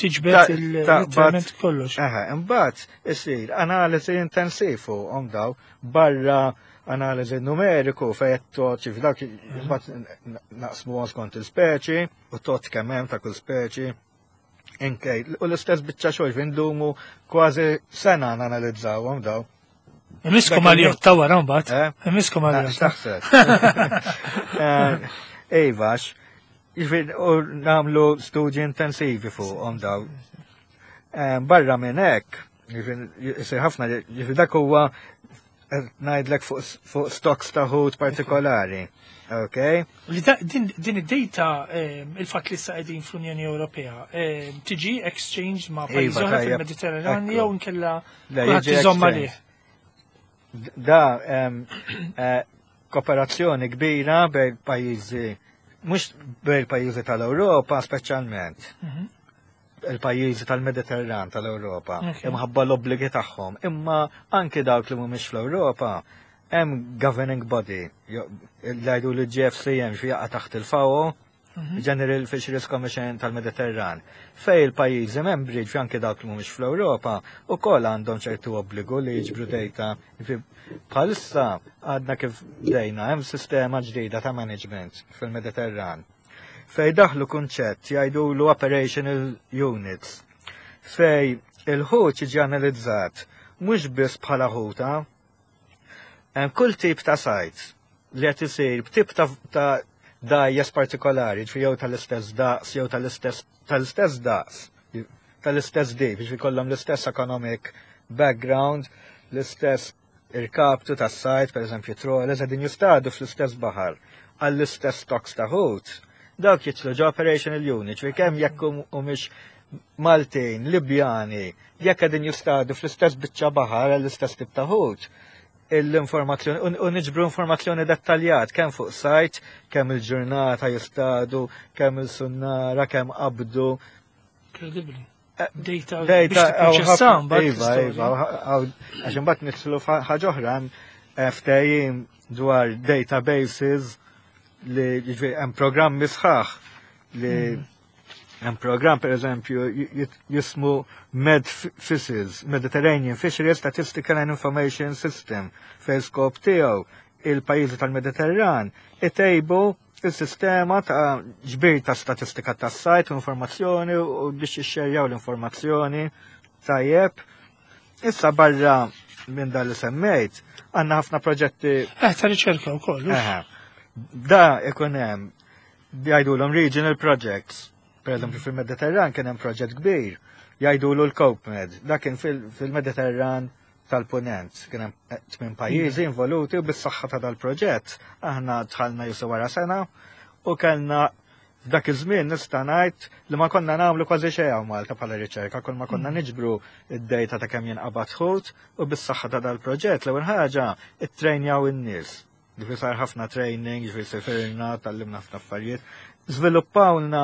tiġbed Ta- il-literalment ta' kollox. Eħe, imbagħad isir analiżi intensiv fuqhom daw barra analiżi numeriku fejn tot ġifi dak imbagħad naqsmu skont il-speċi u tot kemm hemm ta' kull speċi. Inkej, u l-istess biċċa xogħol fejn ndumu kważi sena nanalizzawhom daw. Imiskom Dak għal il- jotta wara mbagħad. Eh? Imiskom għal jotta. X'taħseb? Iva, jiġifieri u nagħmlu studji intensivi fuqhom daw. Eh, Barra minn hekk, jiġifieri isir ħafna, jiġifieri dak huwa qed ngħidlek fuq fuq stocks ta' ħut partikolari. Ok? Li da- Din din id-data, ehm, il-fatt li issa qegħdin fl-Unjoni Ewropea, ehm, tiġi exchange ma' pajjiżi Iva, oħra tajjeb. fil-Mediterran Ekku. jew nkella Le, kulħadd jiġi iżomm exchange. għalih. Da em, eh, kooperazzjoni kbira bejn pajjiżi, mhux bejn pajjiżi tal-Ewropa speċjalment. Mhm. Il-pajjiżi tal-Mediterran tal-Ewropa, Ok. imħabba l-obbligi tagħhom, imma anki dawk li mhumiex fl-Ewropa hemm governing body, jo- li jgħidu li G F C M xi jaqa' taħt il-FAO, General Fisheries Commission tal-Mediterran, fej il-pajjiżi membri, ġifieri anke dawk li mhumiex fl-Ewropa, ukoll għandhom ċertu obbligu li jiġbru data. Ġifieri bħalissa għadna kif bdejna hemm sistema ġdida ta' management fil-Mediterran. Fej daħlu kunċett jgħidulu operational units. Fej il-ħut jiġi analizzat mhux biss bħala ħuta, hemm kull tip ta' sajd li qed isir b'tip ta' ta' dgħajjes partikolari, ġifieri jew tal-istess daqs, jew tal-istess tal-istess daqs, tal-istess dip, ġifieri kollhom l-istess economic background, l-istess irkaptu tas-sajd, per eżempju trawlers, qegħdin jistadu fl-istess baħar għall-istess stocks ta' ħut. Dawk jidħlu ġo operational unit, ġifieri kemm jekk humiex Maltin, Libjani, jekk qegħdin jistadu fl-istess biċċa baħar għall-istess tip ta' ħut, l-informazzjoni, u niġbru informazzjoni dettaljat, kemm fuq site, kemm il-ġurnata jistadu, kemm il-sunnara, kemm qabdu. Incredibly. Data Data, biex tipproċessa mbagħad Iva, iva, għax imbagħad nidħlu ħaġa oħra, ftehim dwar databases li jiġifieri hemm programmi sħaħ li hemm program per eżempju jismu MedFishes, Mediterranean Fisheries Statistical and Information System, fej skop tiegħu il-pajjiżi tal-Mediterran itejbu il-sistema ta' ġbir ta' statistika ta' sajd u informazzjoni u biex jixxerjaw l-informazzjoni tajjeb. Issa barra minn dan li semmejt, għandna ħafna proġetti. Eh, ta' riċerka wkoll. Eħe. Da ikun hemm jgħidulhom regional projects. Per eżempju fil-Mediterran kien hemm proġett kbir jgħidulu l-CopeMed. Da kien fil-Mediterran tal-Punent. Kien hemm tmien pajjiżi involuti u bis-saħħa ta' dal-proġett aħna dħalna jisu wara sena u kellna f'dak iż-żmien nista' ngħid li ma konna nagħmlu kważi xejn hawn Malta bħala riċerka, kull ma konna niġbru id-data ta' kemm jinqabad ħut u bis-saħħa ta' dal-proġett l-ewwel ħaġa ittrejnjaw in-nies. Ġifieri sar ħafna training, ġifieri sefirna, tgħallimna ħafna affarijiet. Żviluppawlna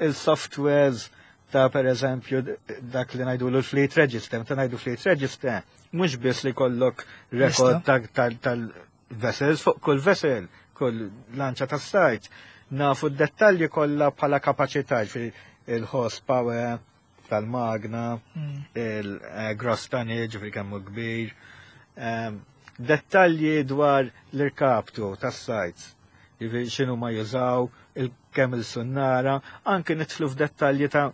il-softwares ta' per eżempju dak li ngħidu l-fleet register, meta ngħidu fleet register, mhux biss li kollok record tal-vessels fuq kull vessel, kull lanċa tas-sajd. Nafu d-dettalji kollha bħala kapaċità, il-horsepower tal-magna, il-gross tonnage, ġifieri kemm hu kbir, dettalji dwar l-irkaptu tas-sajd, ġifieri x'inhu ma jużaw, il-kemm il-sunnara, anke nidħlu f'dettalji ta'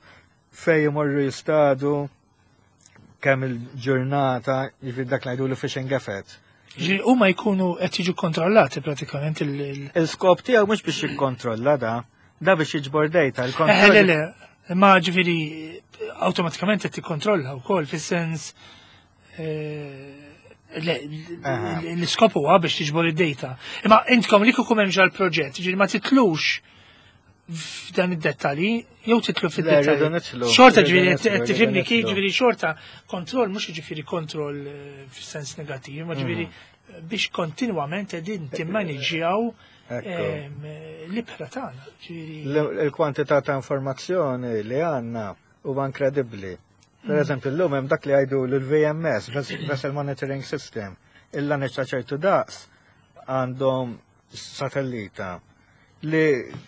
fej imorru jistadu, kemm il-ġurnata, ġifieri dak ngħidu fishing effort. Ġifieri huma jkunu qed jiġu kontrollati pratikament il- Il-skop tiegħu mhux biex jikkontrolla da, da biex jiġbor data. Eh, le, le, ma ġifieri awtomatikament qed tikkontrolla wkoll fis-sens l-iskop huwa biex tiġbor id-data. Imma intkom li kieku hemm l-proġett, ġifieri ma titlux f'dan id-dettalji, jew titlu fid-dettalji. Xorta ġifieri qed tifhimni kif ġifieri xorta kontroll mhux ġifieri kontroll fis-sens negattiv, ma ġifieri biex kontinwament qegħdin timmaniġjaw l-ibħra tagħna. Il-kwantità ta' informazzjoni li għandna huwa inkredibbli. Per eżempju, l-lum hemm dak li jgħidu l-V M S, Vessel Monitoring System, il-laneċ ta' ċertu daqs għandhom satellita li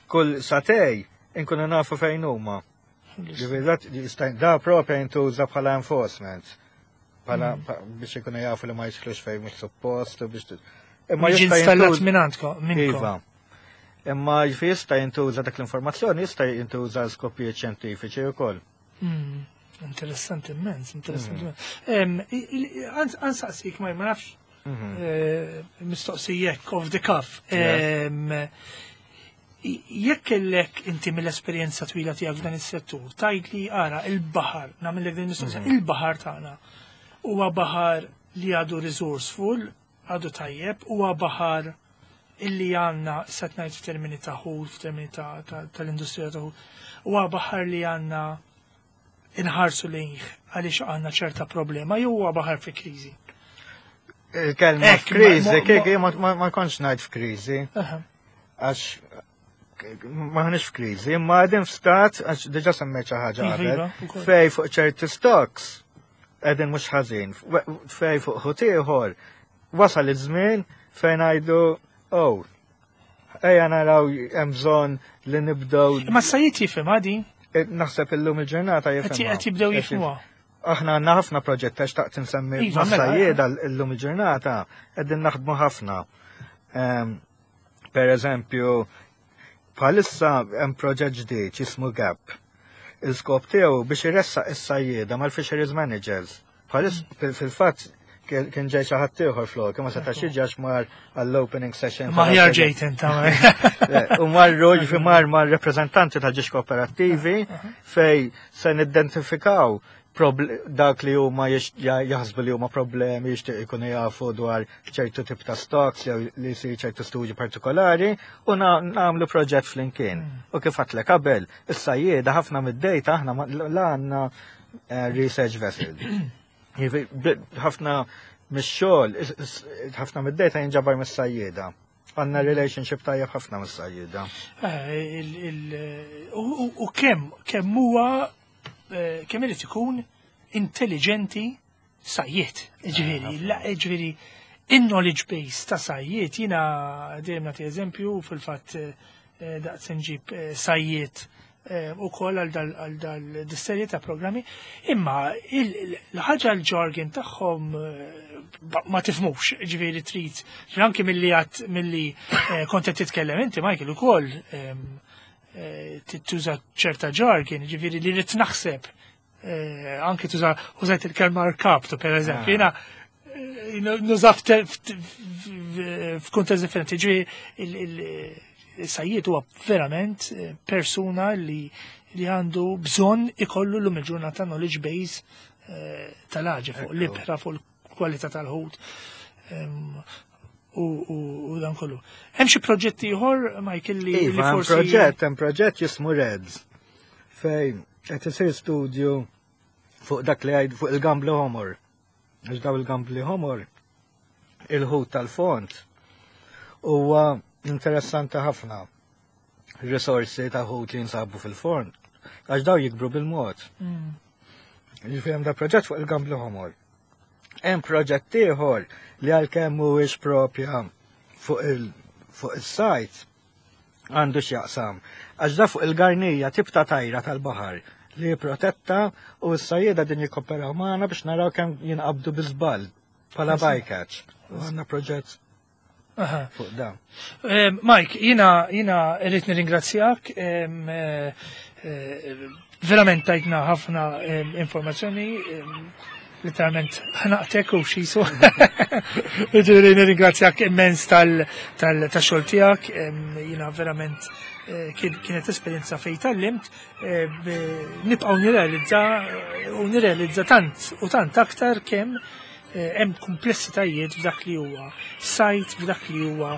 kull sagħtejn inkunu nafu fejn huma. Da propja jintuża bħala enforcement. Bħala biex ikunu jafu li ma jidħlux fejn mhux suppost u biex. Imma jista' installat minn għandkom minnkom. Iva. Imma jista' jintuża dak l-informazzjoni, jista' jintuża skopijiet xjentifiċi wkoll. Mm, Interessanti immens, interessanti immens. Għansaqsik ma ma nafx Mhm. eh, mistoqsijek off the cuff. Em, Jekk kellek inti mill-esperjenza twila tiegħek f'dan is-settur, tgħid li ara il-baħar, nagħmel din mistoqsija, il-baħar tagħna huwa baħar li għadu resourceful, għadu tajjeb, huwa baħar illi għandna set ngħid f'termini ta' ħut, f'termini ta' ta- tal-industrija ta' ħut, huwa baħar li għandna inħarsu lejh għaliex għandna ċerta problema, jew huwa baħar fi kriżi. Il-kelma Ek, f'kriżi, ma- ma- kik ma ma- ma kontx ngħid f'kriżi, Aha. għax m'aħniex f'kriżi, imma qegħdin f'stat, għax diġà semmejt xi ħaġa Iva, qabel, iva, ukoll. fej fuq ċerti stocks qegħdin mhux ħażin, fej fuq ħut ieħor wasal iż-żmien fejn ngħidu oh, Ejja naraw hemm bżonn li nibdew. Imma s-sajjied jifhem għadi? Eh, naħseb illum il-ġurnata jifhem. Qed jibdew jifhmuha. Aħna għandna ħafna proġett għax taqt insemmi iva, mela, mas-sajjieda illum il-ġurnata qegħdin naħdmu ħafna. Per eżempju, bħalissa hemm proġett ġdid jismu GAP. Il-skop tiegħu biex iressaq is-sajjieda mal-fisheries managers. Bħalissa fil-fatt kien ġej xi ħadd ieħor flok, ma setax jiġi għax mar għall-opening session. Ma ħjar ġejt inta. U marru ġifi mar mar rappreżentanti ta' ġiex kooperattivi fej se nidentifikaw dak li huma jaħsbu li huma problemi jixtieq ikunu jafu dwar ċertu tip ta' stocks jew li jsir ċertu studji partikolari u nagħmlu proġett flimkien. Mm. U kif għedtlek qabel, is-sajjieda ħafna mid-data aħna la għandna eh, research vessel. Ħafna mix-xogħol, ħafna mid-data jinġabar mis-sajjieda. Għandna relationship tajjeb ħafna mis-sajjieda. Eh, u kemm kemm huwa eh, kemm irid ikun intelligenti sajjied. Ġifieri, ġifieri, in-knowledge base ta' sajjied, jiena dejjem nagħti eżempju fil-fatt eh, daqs nġib sajjied u koll għal dal-serje ta' programmi, imma l-ħaġa l-jargon tagħhom ma tifhmux, ġifieri trid, anki milli għat milli kont qed titkellem inti, Michael, ukoll tuża ċerta jargon, ġifieri li rrid naħseb, anki tuża użajt il-kelma rkaptu, per eżempju, jiena nuża f'kuntest differenti, ġifieri il-sajjied huwa verament persuna li li għandu bżonn ikollu l-lum il-ġurnata knowledge base tal-ħaġa fuq l-ibħra, fuq l-kwalità tal-ħut u dan kollu. Hemm xi proġetti ieħor, Michael, li iva, forsi proġett, hemm proġett jismu Reds fejn qed isir studju fuq dak li għajd fuq il-gambli ħomor. Għax daw il-gambli ħomor il-ħut tal-fond huwa interessanti ħafna risorsi ta' ħut li jinsabu fil-fond. Għax daw jikbru bil-mod. Mm. Ġifieri hemm da proġett fuq il-gambli ħomor. Hemm proġett ieħor li għalkemm mhuwiex propja fuq il fuq is-sajt għandu x'jaqsam. Għax da fuq il-garnija tip ta' tajra tal-baħar li protetta u s-sajjeda din jikkoperaw magħna biex naraw kemm jinqabdu bi żball bħala bycatch. U għandna proġett fuq da. Mike, jiena jiena rrid nirringrazzjak. Eh, eh, verament tajtna ħafna informazzjoni, literalment ħnaqtek u xisu. Ġifieri nirringrazzjak immens tal-xogħol tiegħek, jiena verament eh, kienet esperjenza fej tgħallimt, nibqgħu nirrealizza u nirrealizza tant u tant aktar kemm hemm komplessitajiet f'dak li huwa sajt, f'dak li huwa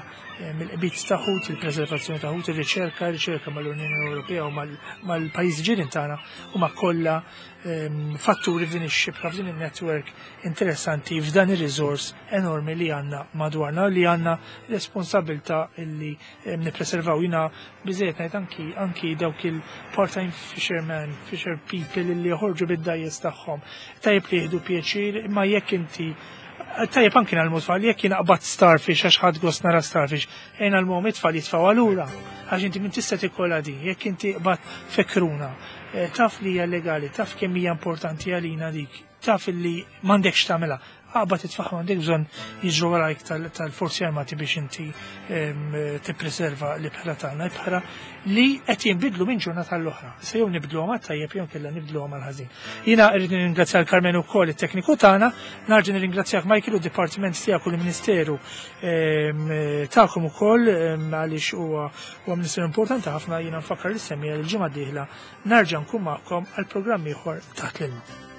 mill-qbit ta' ħut, il-preservazzjoni ta' ħut, il-riċerka, il-riċerka mal-Unjoni Ewropea u mal-pajjiżi ġirien tagħna huma kollha fatturi f'din ix-xibka, f'din il-network interessanti, f'dan ir-resource enormi li għandna madwarna, li għandna responsabilta illi nippreservaw. Jiena biżejjed ngħid anki anki dawk il-part-time fishermen, fisher people illi joħorġu bid-dgħajjes tagħhom. Tajjeb li jieħdu pjaċir, imma jekk inti tajjeb anki ngħallmu tfal, jekk jien qbadt starfish għax ħadt gost nara starfish, ejna l-mom it-tfal jitfgħu allura, għax inti min tista' tikkola din, jekk inti qbadt fekruna, eh, taf li hija legali, taf kemm hija importanti għalina dik, taf li m'għandekx tagħmilha, aqbad itfagħha, m'għandek bżonn jiġru warajk tal-forzi armati biex inti tippreserva l-ibħra tagħna, ibħra li qed jinbidlu minn ġurnata l-oħra. Se jew nibdluhom għat-tajjeb jew kellha nibdluhom għall-ħażin. Jiena rrid nirringrazzja l-Karmen ukoll it-tekniku tagħna, narġa' nirringrazzjak Michael u d-dipartiment tiegħek u l-Ministeru tagħkom ukoll għaliex huwa huwa ministeru importanti ħafna. Jiena nfakkar li semmija l-ġimgħa d-dieħla narġa' nkun magħkom għal programm ieħor Taħt l-Ilma.